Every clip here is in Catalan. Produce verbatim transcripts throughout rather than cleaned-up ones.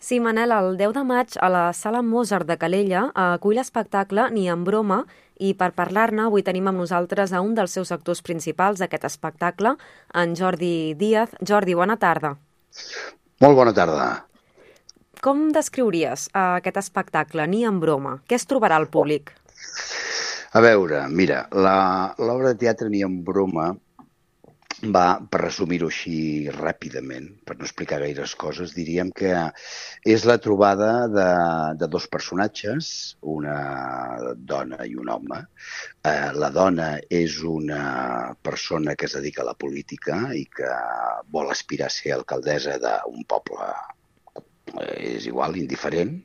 Sí, Manel, el deu de maig a la Sala Mozart de Calella acull l'espectacle Ni en broma i per parlar-ne avui tenim amb nosaltres a un dels seus actors principals d'aquest espectacle, en Jordi Díaz. Jordi, bona tarda. Molt bona tarda. Com descriuries uh, aquest espectacle, Ni en broma? Què es trobarà al públic? A veure, mira, l'obra de teatre Ni en broma va, per resumir-ho així ràpidament, per no explicar gaires coses, diríem que és la trobada de, de dos personatges, una dona i un home. Eh, la dona és una persona que es dedica a la política i que vol aspirar a ser alcaldessa d'un poble, és igual, indiferent,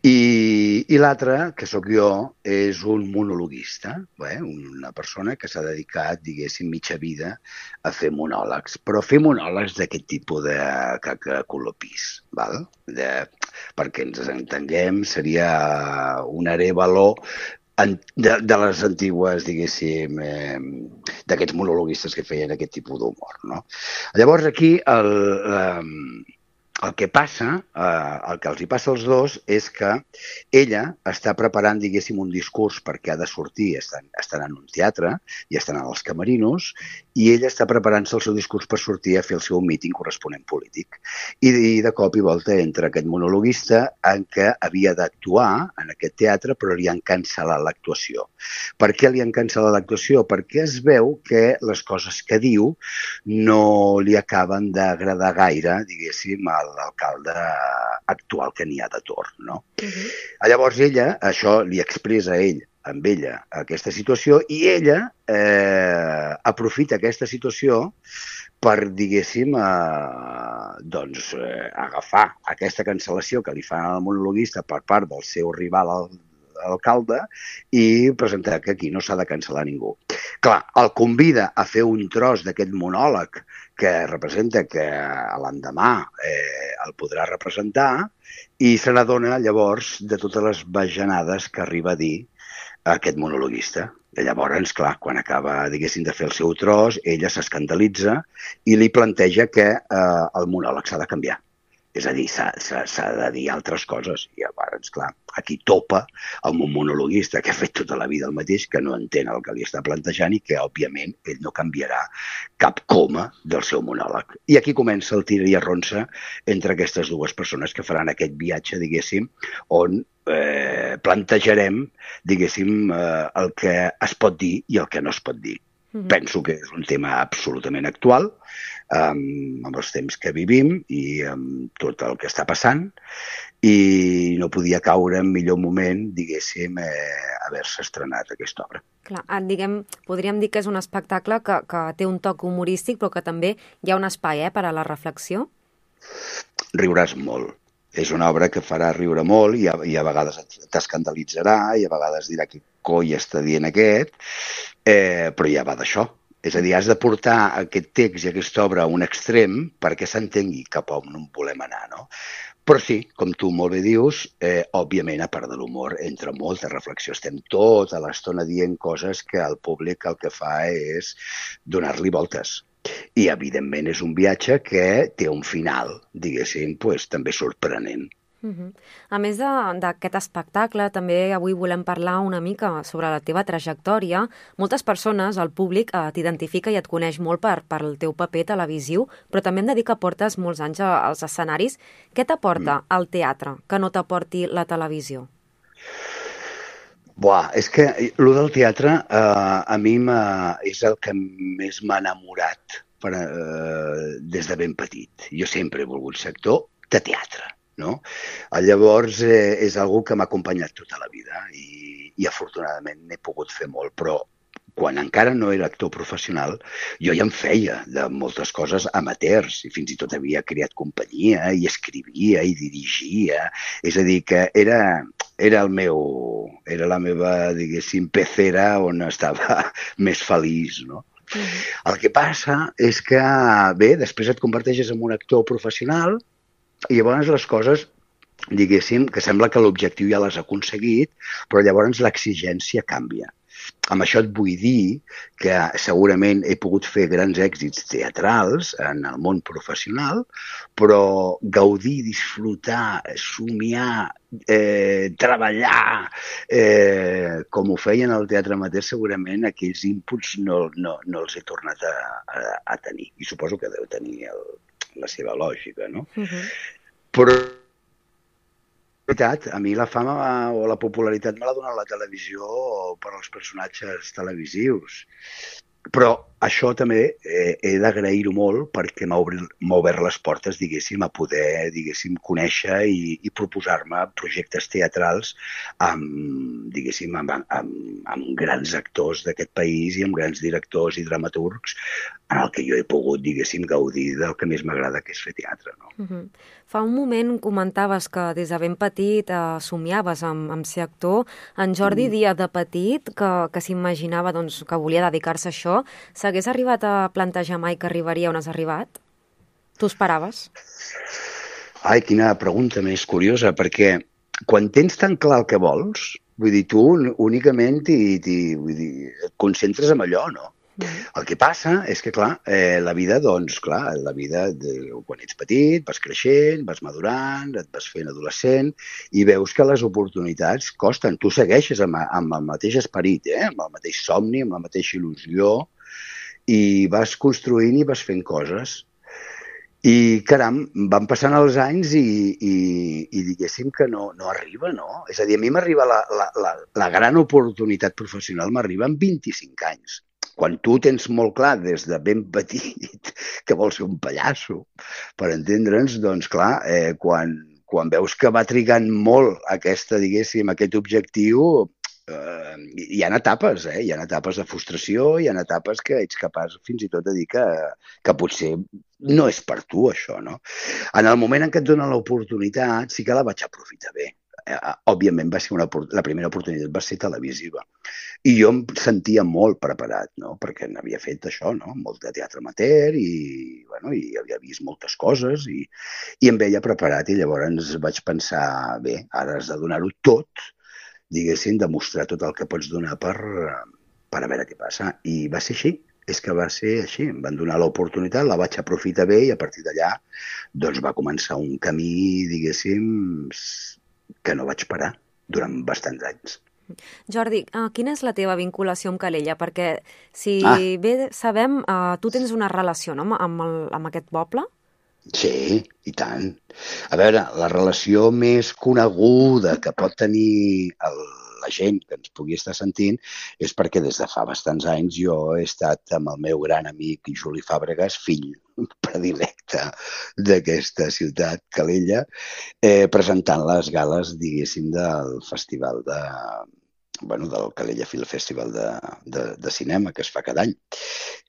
i, i l'altre, que sóc jo, és un monologuista, eh? Una persona que s'ha dedicat, diguéssim, mitja vida a fer monòlegs, però fer monòlegs d'aquest tipus de cacacolopís, val? De, perquè ens entenguem, seria un arévalo de, de les antigues, diguéssim, eh, d'aquests monologuistes que feien aquest tipus d'humor, no? Llavors aquí el... Eh, El que passa, eh, el que els hi passa als dos és que ella està preparant, diguéssim, un discurs perquè ha de sortir, estan, estan en un teatre i estan als camerinos, i ella està preparant-se el seu discurs per sortir a fer el seu míting corresponent polític. I, i de cop i volta entra aquest monologuista en què havia d'actuar en aquest teatre, però li han cancel·lat l'actuació. Per què li han cancel·lat l'actuació? Perquè es veu que les coses que diu no li acaben d'agradar gaire, diguéssim, al l'alcalde actual que n'hi ha de torn, no? Uh-huh. Llavors ella, això li expressa ell amb ella aquesta situació i ella eh, aprofita aquesta situació per, diguéssim, eh, doncs, eh, agafar aquesta cancel·lació que li fan al monologuista per part del seu rival al alcalde i presentar que aquí no s'ha de cancel·lar ningú. Clar, el convida a fer un tros d'aquest monòleg que representa que l'endemà eh, el podrà representar i se n'adona llavors de totes les bajanades que arriba a dir aquest monologuista. I llavors, clar, quan acaba, diguéssim, de fer el seu tros, ella s'escandalitza i li planteja que eh, el monòleg s'ha de canviar. És a dir, s'ha de dir altres coses. I llavors, clar, aquí topa amb un monologuista que ha fet tota la vida el mateix, que no entén el que li està plantejant i que, òbviament, ell no canviarà cap coma del seu monòleg. I aquí comença el tira i arronsa entre aquestes dues persones que faran aquest viatge, diguéssim, on eh, plantejarem, diguéssim, eh, el que es pot dir i el que no es pot dir. Mm-hmm. Penso que és un tema absolutament actual, um, amb els temps que vivim i amb tot el que està passant, i no podia caure en millor moment, diguéssim, eh, haver-se estrenat aquesta obra. Clar, diguem, podríem dir que és un espectacle que, que té un toc humorístic, però que també hi ha un espai eh, per a la reflexió? Riuràs molt. És una obra que farà riure molt i a, i a vegades t'escandalitzarà i a vegades dirà que coi està dient aquest, eh, però ja va d'això. És a dir, has de portar aquest text i aquesta obra a un extrem perquè s'entengui cap a on volem anar, no? Però sí, com tu molt bé dius, eh, òbviament, a part de l'humor, entra molta reflexió. Estem tota l'estona dient coses que el públic el que fa és donar-li voltes. I, evidentment, és un viatge que té un final, diguéssim, pues, també sorprenent. Uh-huh. A més d'aquest espectacle, també avui volem parlar una mica sobre la teva trajectòria. Moltes persones, el públic, eh, t'identifica i et coneix molt per, per el teu paper televisiu, però també em de dir que portes molts anys als escenaris. Què t'aporta mm. el teatre que no t'aporti la televisió? Buah, és que el del teatre eh, a mi és el que més m'ha enamorat per, eh, des de ben petit. Jo sempre he volgut ser actor de teatre, no? Llavors eh, és algo que m'ha acompanyat tota la vida i, i afortunadament n'he pogut fer molt, però quan encara no era actor professional, jo ja em feia de moltes coses amateurs i fins i tot havia creat companyia i escrivia i dirigia. És a dir, que era, era, el meu, era la meva, diguéssim, pecera on estava més feliç, no? Mm. El que passa és que, bé, després et converteixes en un actor professional i llavors les coses, diguéssim, que sembla que l'objectiu ja l'has aconseguit, però llavors l'exigència canvia. Amb això et vull dir que segurament he pogut fer grans èxits teatrals en el món professional, però gaudir, disfrutar, somiar, eh, treballar, eh, com ho feien al teatre amateur, segurament aquells inputs no, no, no els he tornat a, a, a tenir. I suposo que deu tenir el, la seva lògica, no? Uh-huh. Però a mi la fama o la popularitat me l'ha donat la televisió per als personatges televisius. Però això també eh, he d'agrair-ho molt perquè m'ha obert les portes, diguéssim, a poder, diguéssim, conèixer i, i proposar-me projectes teatrals amb, diguéssim, amb, amb, amb grans actors d'aquest país i amb grans directors i dramaturgs en el que jo he pogut, diguéssim, gaudir del que més m'agrada, que és fer teatre, no? Uh-huh. Fa un moment comentaves que des de ben petit eh, somiaves amb, amb ser actor. En Jordi mm. Díaz, de petit, que, que s'imaginava doncs, que volia dedicar-se a això, s'hagués arribat a plantejar mai que arribaria on has arribat? Tu esperaves? Ai, quina pregunta més curiosa, perquè quan tens tan clar el que vols, vull dir, tu únicament t'hi, t'hi, vull dir, et concentres en allò, no? El que passa és que, clar, eh, la vida, doncs, clar, la vida, de, quan ets petit, vas creixent, vas madurant, et vas fent adolescent i veus que les oportunitats costen. Tu segueixes amb, amb el mateix esperit, eh? Amb el mateix somni, amb la mateixa il·lusió i vas construint i vas fent coses. I, caram, van passant els anys i, i, i diguéssim que no, no arriba, no? És a dir, a mi m'arriba la, la, la, la gran oportunitat professional, m'arriba amb vint-i-cinc anys. Quan tu tens molt clar des de ben petit que vols ser un pallasso, per entendre'ns, doncs clar, eh, quan, quan veus que va trigant molt aquesta, diguéssim, aquest objectiu, eh, hi ha etapes, eh? Hi ha etapes de frustració, hi ha etapes que ets capaç fins i tot de dir que, que potser no és per tu això, no? En el moment en què et donen l'oportunitat, sí que la vaig aprofitar bé. Eh, òbviament va ser una, la primera oportunitat va ser televisiva i jo em sentia molt preparat, no? Perquè n'havia fet això, no? Molt de teatre amateur i, bueno, i havia vist moltes coses i, i em veia preparat i llavors vaig pensar, bé, ara has de donar-ho tot, diguéssim, demostrar tot el que pots donar per, per a veure què passa. I va ser així, és que va ser així. Em van donar l'oportunitat, la vaig aprofitar bé i a partir d'allà doncs va començar un camí, diguéssim, que no vaig parar durant bastants anys. Jordi, uh, quina és la teva vinculació amb Calella? Perquè, si ah. bé sabem, uh, tu tens una relació, no?, amb, el, amb aquest poble? Sí, i tant. A veure, la relació més coneguda que pot tenir el, la gent que ens pugui estar sentint és perquè des de fa bastants anys jo he estat amb el meu gran amic Juli Fàbregas, fill predilecte d'aquesta ciutat, Calella, eh, presentant les gales, diguéssim, del festival de, bueno, del Calella Film Festival de, de, de cinema que es fa cada any.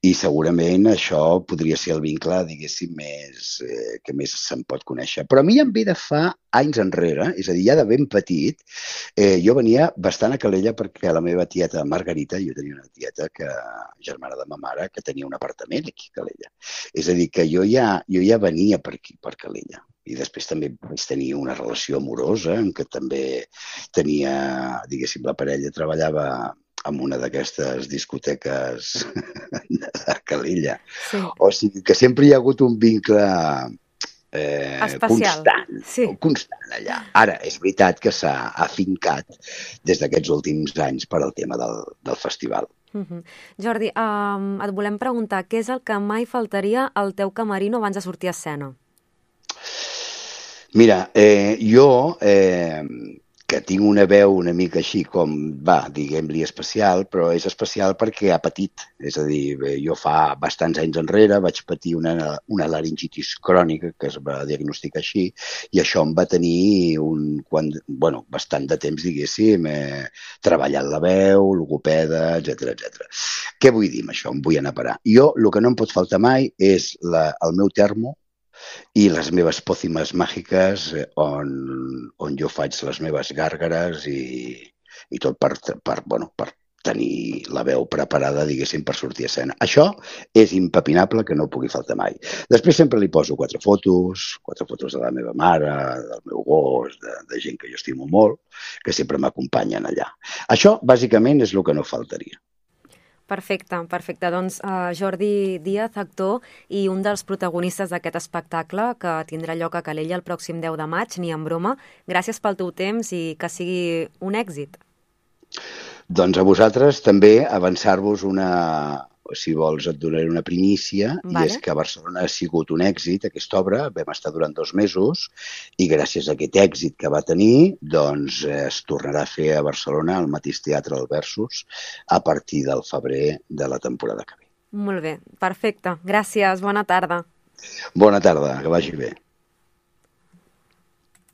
I segurament això podria ser el vincle, diguéssim, més, eh, que més se'n pot conèixer. Però a mi em ve de fa anys enrere, és a dir, ja de ben petit, eh, jo venia bastant a Calella perquè la meva tieta Margarita, jo tenia una tieta, que, germana de ma mare, que tenia un apartament aquí a Calella. És a dir, que jo ja, jo ja venia per aquí, per Calella. I després també vaig tenir una relació amorosa en què també tenia, diguéssim, la parella treballava en una d'aquestes discoteques de Calella. Sí. O sigui que sempre hi ha hagut un vincle eh, constant, sí. constant allà. Ara, és veritat que s'ha afincat des d'aquests últims anys per al tema del, del festival. Uh-huh. Jordi, um, et volem preguntar què és el que mai faltaria al teu camerino abans de sortir a escena? Mira, eh, jo, eh, que tinc una veu una mica així com, va, diguem-li especial, però és especial perquè ha patit. És a dir, jo fa bastants anys enrere vaig patir una, una laringitis crònica que es va diagnosticar així i això em va tenir un, quan, bueno, bastant de temps, diguéssim, eh, treballant la veu, logopeda, etcètera, etcètera. Què vull dir amb això? Em vull anar a parar. Jo, el que no em pot faltar mai és la, el meu termo i les meves pòcimes màgiques on, on jo faig les meves gàrgares i, i tot per, per, bueno, per tenir la veu preparada, diguéssim, per sortir a escena. Això és impepinable que no pugui faltar mai. Després sempre li poso quatre fotos, quatre fotos de la meva mare, del meu gos, de, de gent que jo estimo molt, que sempre m'acompanyen allà. Això, bàsicament, és el que no faltaria. Perfecte, perfecte. Doncs uh, Jordi Díaz, actor i un dels protagonistes d'aquest espectacle que tindrà lloc a Calella el pròxim deu de maig, ni en broma. Gràcies pel teu temps i que sigui un èxit. Doncs a vosaltres també avançar-vos una, si vols et donaré una primícia, vale. I és que a Barcelona ha sigut un èxit aquesta obra, vam estar durant dos mesos i gràcies a aquest èxit que va tenir, doncs es tornarà a fer a Barcelona al mateix teatre del Versus a partir del febrer de la temporada que ve. Molt bé, perfecte. Gràcies, bona tarda. Bona tarda, que vagi bé.